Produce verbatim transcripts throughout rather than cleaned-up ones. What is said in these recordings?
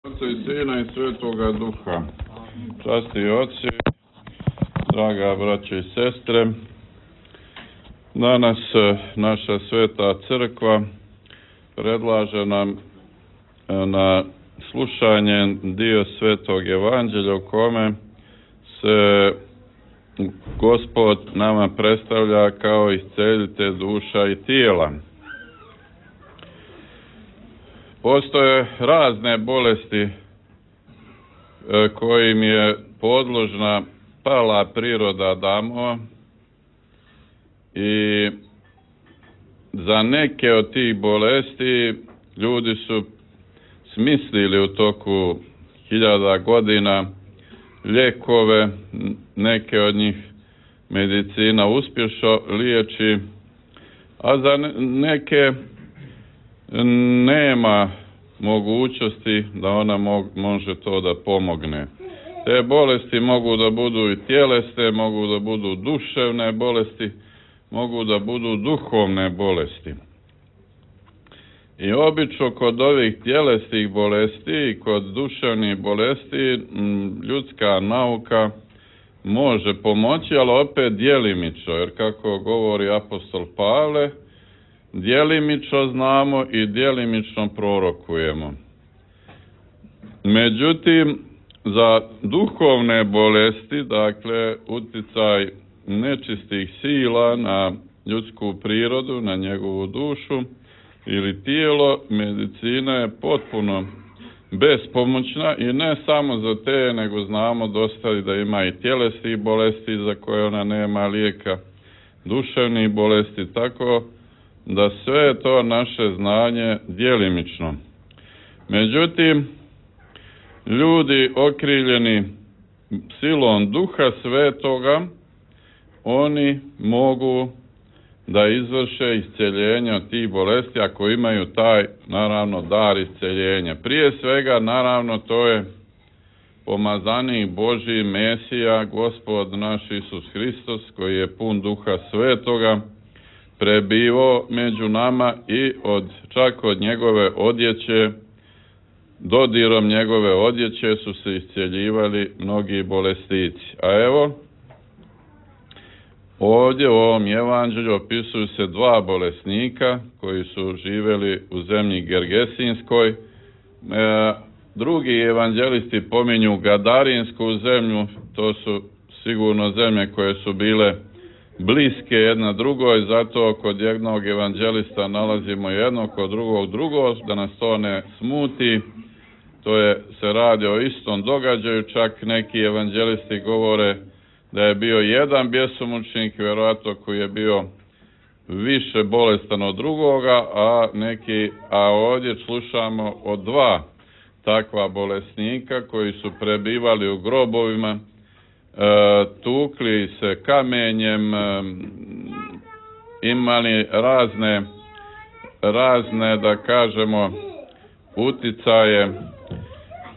Otca i Sina i Svetoga Duha. Časti oci, draga braće i sestre, danas naša sveta crkva predlaže nam na slušanje dio Svetog Evanđelja u kome se Gospod nama predstavlja kao iscelitelj duša i tijela. Postoje razne bolesti kojim je podložna pala priroda Adamova i za neke od tih bolesti ljudi su smislili u toku hiljada godina lijekove, neke od njih medicina uspješno liječi, a za neke nema mogućnosti da ona mo- može to da pomogne. Te bolesti mogu da budu i tjelesne, mogu da budu duševne bolesti, mogu da budu duhovne bolesti. I obično kod ovih tjelesnih bolesti i kod duševnih bolesti ljudska nauka može pomoći, ali opet djelimično, jer kako govori apostol Pavle, djelimično znamo i djelimično prorokujemo. Međutim, za duhovne bolesti, dakle, uticaj nečistih sila na ljudsku prirodu, na njegovu dušu ili tijelo, medicina je potpuno bespomoćna i ne samo za te, nego znamo dosta da ima i tjelesnih bolesti za koje ona nema lijeka, duševnih bolesti, tako da sve je to naše znanje djelimično. Međutim, ljudi okriljeni silom Duha Svetoga, oni mogu da izvrše isceljenje od tih bolesti ako imaju taj, naravno, dar isceljenja. Prije svega, naravno, to je pomazanik Božji, Mesija, Gospod naš Isus Hristos, koji je pun Duha Svetoga, prebivao među nama i od, čak od njegove odjeće, dodirom njegove odjeće su se isceljivali mnogi bolestici. A evo, ovdje u ovom evanđelju opisuju se dva bolesnika koji su živjeli u zemlji Gergesinskoj. E, drugi evanđelisti pominju Gadarinsku zemlju, to su sigurno zemlje koje su bile bliske jedna drugoj, zato kod jednog evanđelista nalazimo jedno, kod drugog drugo, da nas to ne smuti. To je, se radi o istom događaju, čak neki evanđelisti govore da je bio jedan bjesomučnik, vjerojatno koji je bio više bolestan od drugoga, a neki, a ovdje slušamo o dva takva bolesnika koji su prebivali u grobovima, E, tukli se kamenjem, e, imali razne, razne, da kažemo, uticaje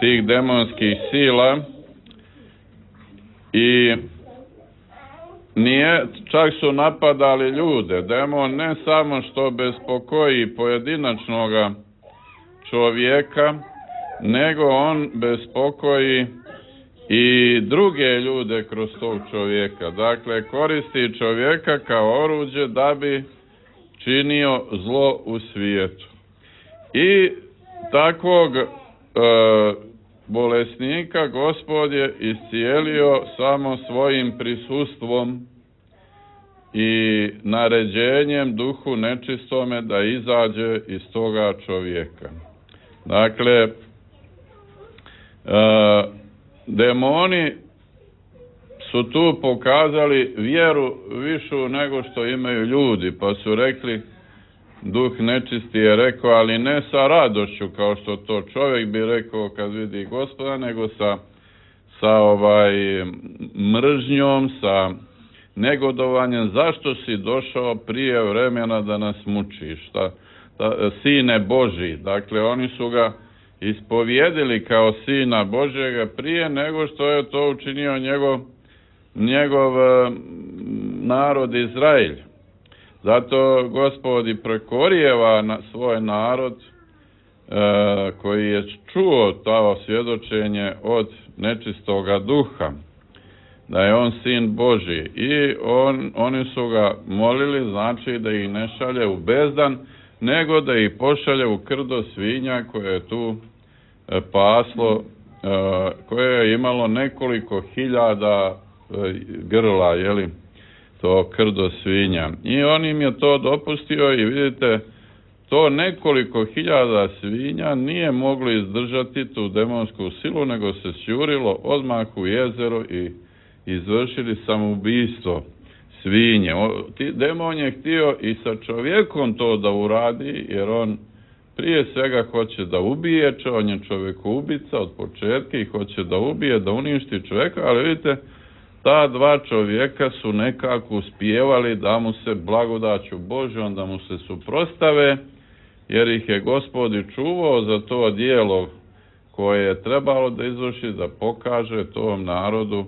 tih demonskih sila i nije, čak su napadali ljude. Demon ne samo što bespokoji pojedinačnoga čovjeka, nego on bespokoji i druge ljude kroz tog čovjeka. Dakle, koristi čovjeka kao oruđe da bi činio zlo u svijetu. I takvog e, bolesnika Gospod je iscijelio samo svojim prisustvom i naređenjem duhu nečistome da izađe iz toga čovjeka. Dakle, e, demoni su tu pokazali vjeru višu nego što imaju ljudi, pa su rekli, duh nečisti je rekao, ali ne sa radošću kao što to čovjek bi rekao kad vidi Gospoda, nego sa, sa ovaj mržnjom, sa negodovanjem, zašto si došao prije vremena da nas mučiš, ta, ta, sine Božji. Dakle, oni su ga ispovjedili kao sina Božjega prije nego što je to učinio njegov, njegov narod Izrael. Zato Gospod i prekorijeva na svoj narod koji je čuo to svjedočenje od nečistoga duha, da je on sin Božji, i on, oni su ga molili, znači da ih ne šalje u bezdan, nego da ih pošalje u krdo svinja koje je tu paslo, koje je imalo nekoliko hiljada grla, jeli, to krdo svinja. I on im je to dopustio i vidite, to nekoliko hiljada svinja nije moglo izdržati tu demonsku silu, nego se sjurilo odmah u jezero i izvršili samoubistvo svinje. Demon je htio i sa čovjekom to da uradi, jer on prije svega hoće da ubije, on je čovjekoubica od početka i hoće da ubije, da uništi čovjeka, ali vidite, ta dva čovjeka su nekako uspijevali da mu se blagodaću Božjom, da mu se suprostave, jer ih je Gospod i čuvao za to djelo koje je trebalo da izvrši, da pokaže tom narodu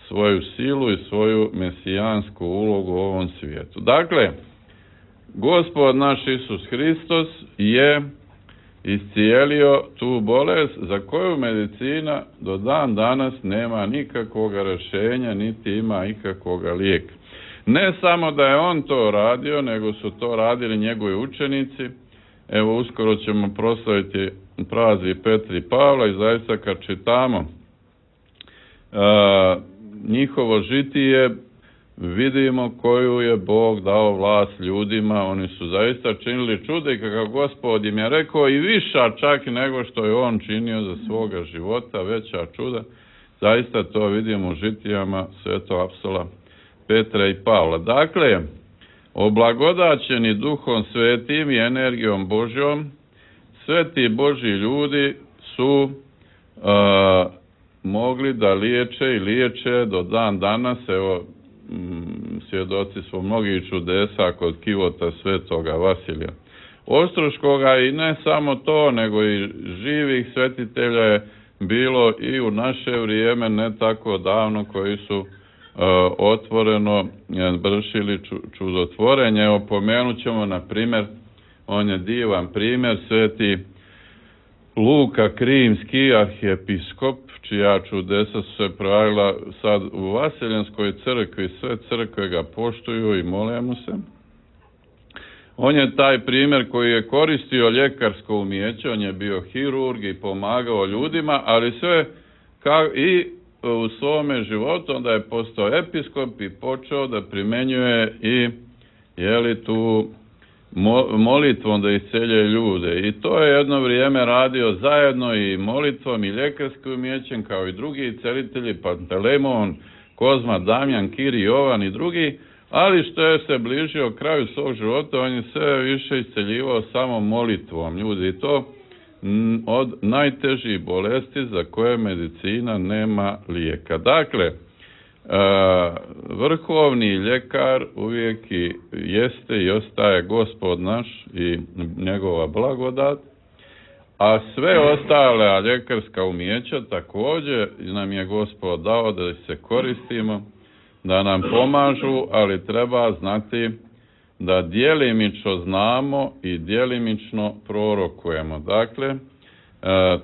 svoju silu i svoju mesijansku ulogu u ovom svijetu. Dakle, Gospod naš Isus Hristos je iscijelio tu bolest za koju medicina do dan danas nema nikakvog rješenja, niti ima ikakvog lijeka. Ne samo da je on to radio, nego su to radili njegovi učenici. Evo, uskoro ćemo proslaviti praznik Petra i Pavla i zaista kad čitamo uh, njihovo žitije, vidimo koju je Bog dao vlast ljudima. Oni su zaista činili čude, kako Gospod im je rekao, i viša čak nego što je on činio za svoga života, veća čuda. Zaista to vidimo u žitijama svetog apostola Petra i Pavla. Dakle, oblagodaćeni Duhom Svetim i energijom Božjom, sveti Božji ljudi su uh, mogli da liječe i liječe do dan danas. Evo, m, svjedoci smo mnogih čudesa kod kivota svetoga Vasilija Ostroškoga, i ne samo to, nego i živih svetitelja je bilo i u naše vrijeme, ne tako davno, koji su uh, otvoreno vršili čudotvorenje. Evo, pomenut ćemo, na primjer, on je divan primjer, sveti Luka Krimski, arhijepiskop, čija čudesa su se pravila sad u Vaseljenskoj crkvi, sve crkve ga poštuju i mole mu se. On je taj primjer koji je koristio ljekarsko umijeće, on je bio hirurg i pomagao ljudima, ali sve kao i u svome životu, onda je postao episkop i počeo da primjenjuje i jeli tu molitvom da isceljuje ljude. I to je jedno vrijeme radio zajedno i molitvom i ljekarskim umijećem, kao i drugi celitelji, Pantelemon, Kozma, Damjan, Kiri, Jovan i drugi, ali što je se bližio kraju svog života, on je sve više isceljivao samo molitvom ljudi, i to od najtežih bolesti za koje medicina nema lijeka. Dakle, vrhovni ljekar uvijek i jeste i ostaje Gospod naš i njegova blagodat, a sve ostale ljekarska umijeća također nam je Gospod dao da se koristimo, da nam pomažu, ali treba znati da djelimično znamo i djelimično prorokujemo. Dakle,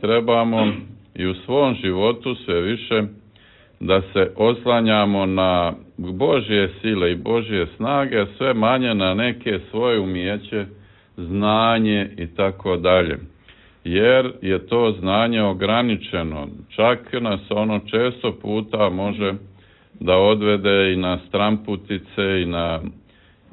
trebamo i u svom životu sve više da se oslanjamo na Božje sile i Božje snage, sve manje na neke svoje umijeće, znanje i tako dalje. Jer je to znanje ograničeno. Čak nas ono često puta može da odvede i na stramputice i na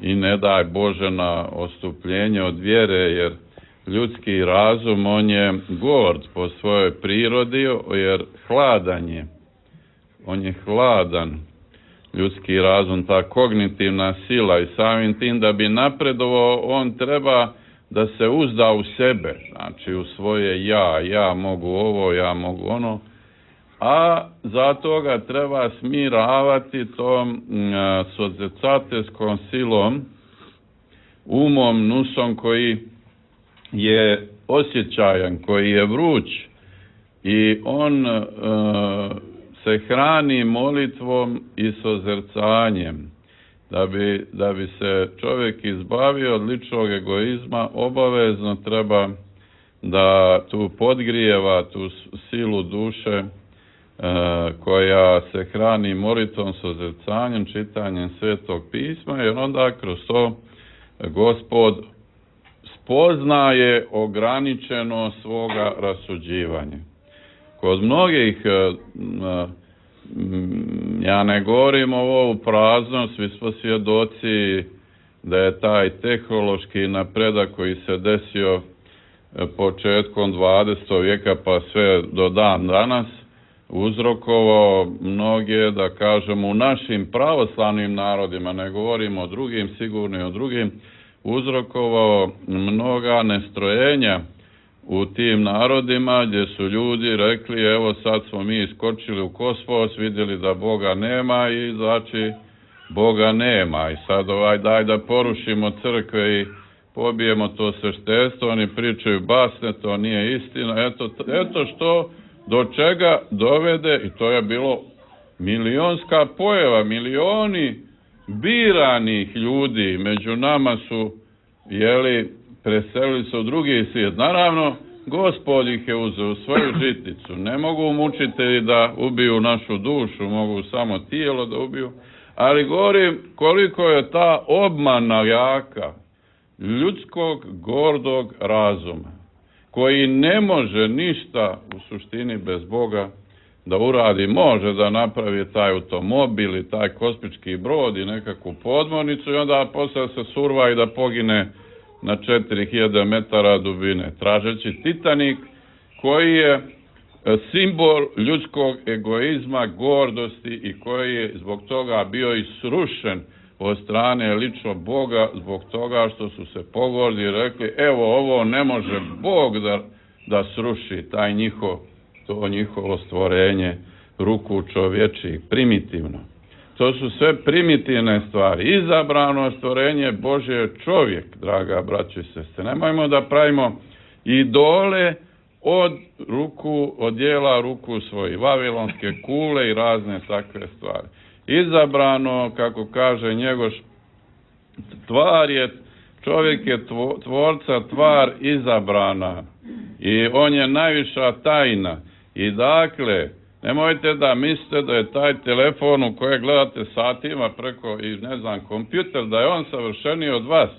i ne daj Bože na ostupljenje od vjere, jer ljudski razum, on je gord po svojoj prirodi, jer hladan je. On je hladan, ljudski razum, ta kognitivna sila, i samim tim da bi napredovao, on treba da se uzda u sebe, znači u svoje ja, ja mogu ovo, ja mogu ono, a zato ga treba smiravati tom sodzecatelskom silom, umom, nusom koji je osjećajan, koji je vruć, i on uh, se hrani molitvom i sozrcanjem. Da bi, da bi se čovjek izbavio od ličnog egoizma, obavezno treba da tu podgrijeva tu silu duše e, koja se hrani molitvom, sozrcanjem, čitanjem Svetog pisma, jer onda kroz to Gospod spoznaje ograničeno svoga rasuđivanja. Kod mnogih, ja ne govorim ovo u prazno, svi smo svjedoci da je taj tehnološki napredak koji se desio početkom dvadesetog vijeka pa sve do dan danas uzrokovao mnoge, da kažemo, u našim pravoslavnim narodima, ne govorimo o drugim, sigurno i o drugim, uzrokovao mnoga nestrojenja u tim narodima gdje su ljudi rekli evo sad smo mi iskočili u kosmos, vidjeli da Boga nema i znači Boga nema i sad ovaj daj da porušimo crkve i pobijemo to sveštenstvo, oni pričaju basne, to nije istina, eto, eto što do čega dovede, i to je bilo milionska pojava, milioni biranih ljudi među nama su, jeli, preselili se u drugi svijet. Naravno, Gospod ih je uzeo u svoju žiticu. Ne mogu mučitelji da ubiju našu dušu, mogu samo tijelo da ubiju, ali govorim koliko je ta obmana jaka ljudskog gordog razuma, koji ne može ništa u suštini bez Boga da uradi. Može da napravi taj automobil i taj kosmički brod i nekakvu podmornicu i onda posle se surva i da pogine na četiri hiljade metara dubine, tražeći Titanik, koji je simbol ljudskog egoizma, gordosti i koji je zbog toga bio i srušen od strane lično Boga, zbog toga što su se pogordi i rekli evo ovo ne može Bog da, da sruši, taj njihov, to njihovo stvorenje ruku čovječih, primitivno. To su sve primitivne stvari. Izabrano stvorenje Božje je čovjek, draga braćo i sestre. Nemojmo da pravimo idole od ruku, od dijela ruku svojih, vavilonske kule i razne takve stvari. Izabrano, kako kaže Njegoš, tvar je, čovjek je tvorca, tvar izabrana i on je najviša tajna. I dakle, nemojte da mislite da je taj telefon u koje gledate satima preko i ne znam kompjuter, da je on savršeniji od vas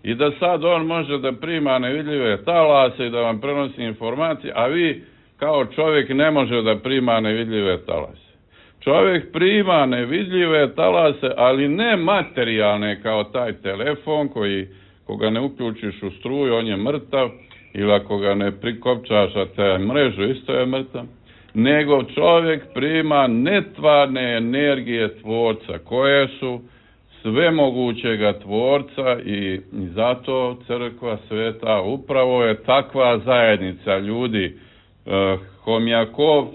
i da sad on može da prima nevidljive talase i da vam prenosi informacije, a vi kao čovjek ne može da prima nevidljive talase. Čovjek prima nevidljive talase, ali ne materijalne kao taj telefon koji, koga ne uključiš u struju, on je mrtav, ili ako ga ne prikopčaš, a te mrežu isto je mrtav, nego čovjek prima netvarne energije tvorca, koje su svemogućega tvorca i zato crkva sveta upravo je takva zajednica ljudi. Homjakov,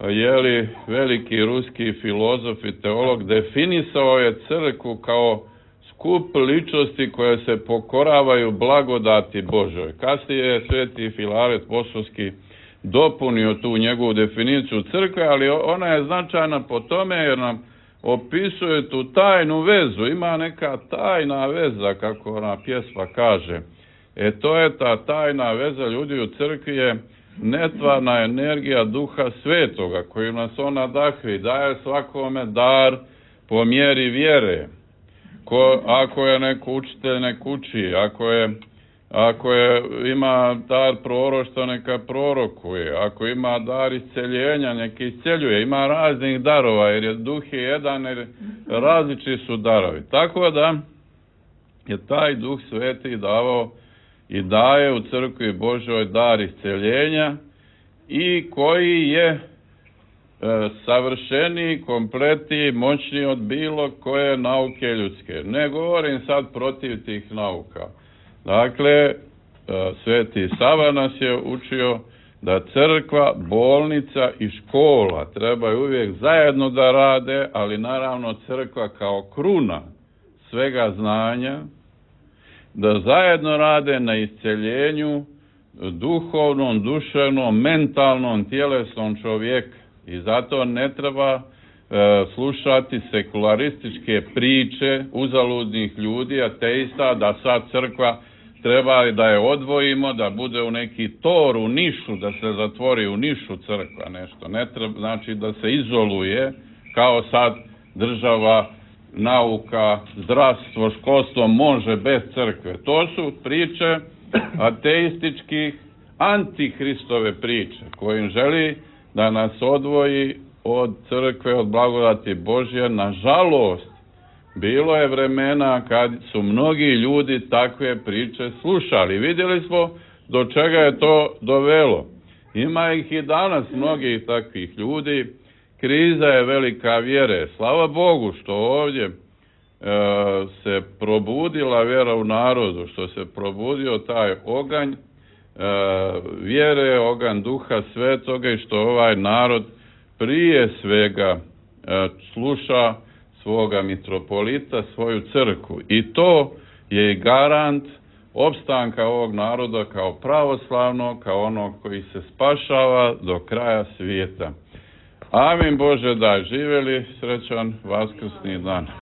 jeli, veliki ruski filozof i teolog, definisao je crkvu kao skup ličnosti koje se pokoravaju blagodati Božoj. Kasnije je sveti Filaret Bosovski dopunio tu njegovu definiciju crkve, ali ona je značajna po tome jer nam opisuje tu tajnu vezu. Ima neka tajna veza, kako ona pjesma kaže. E to je ta tajna veza ljudi u crkvi, je netvarna energija Duha Svetoga koju nas ona nadahvi, daje svakome dar po mjeri vjere. Ko, ako je neko učitelj, nek uči, ako je Ako je, ima dar proroštva, neka prorokuje. Ako ima dar isceljenja, neka isceljuje. Ima raznih darova, jer je duh je jedan, jer različiti su darovi. Tako da je taj Duh Sveti davao i daje u crkvi Božoj dar isceljenja i koji je e, savršeniji, kompletniji, moćniji od bilo koje nauke ljudske. Ne govorim sad protiv tih nauka. Dakle, Sveti Sava nas je učio da crkva, bolnica i škola trebaju uvijek zajedno da rade, ali naravno crkva kao kruna svega znanja, da zajedno rade na isceljenju duhovnom, duševnom, mentalnom, tjelesnom čovjeka. I zato ne treba e, slušati sekularističke priče uzaludnih ljudi, ateista, da sad crkva treba da je odvojimo, da bude u neki tor, u nišu, da se zatvori u nišu crkva nešto. Ne treba, znači da se izoluje, kao sad država, nauka, zdravstvo, školstvo može bez crkve. To su priče ateističkih, antihristove priče, kojim želi da nas odvoji od crkve, od blagodati Božje. Nažalost, bilo je vremena kad su mnogi ljudi takve priče slušali. Vidjeli smo do čega je to dovelo. Ima ih i danas mnogih takvih ljudi. Kriza je velika vjere. Slava Bogu što ovdje e, se probudila vjera u narodu, što se probudio taj oganj e, vjere, oganj Duha Svetoga i što ovaj narod prije svega e, sluša svoga mitropolita, svoju crkvu. I to je i garant opstanka ovog naroda kao pravoslavnog, kao onog koji se spašava do kraja svijeta. Amin Bože, da živjeli srećan Vaskrsni dan.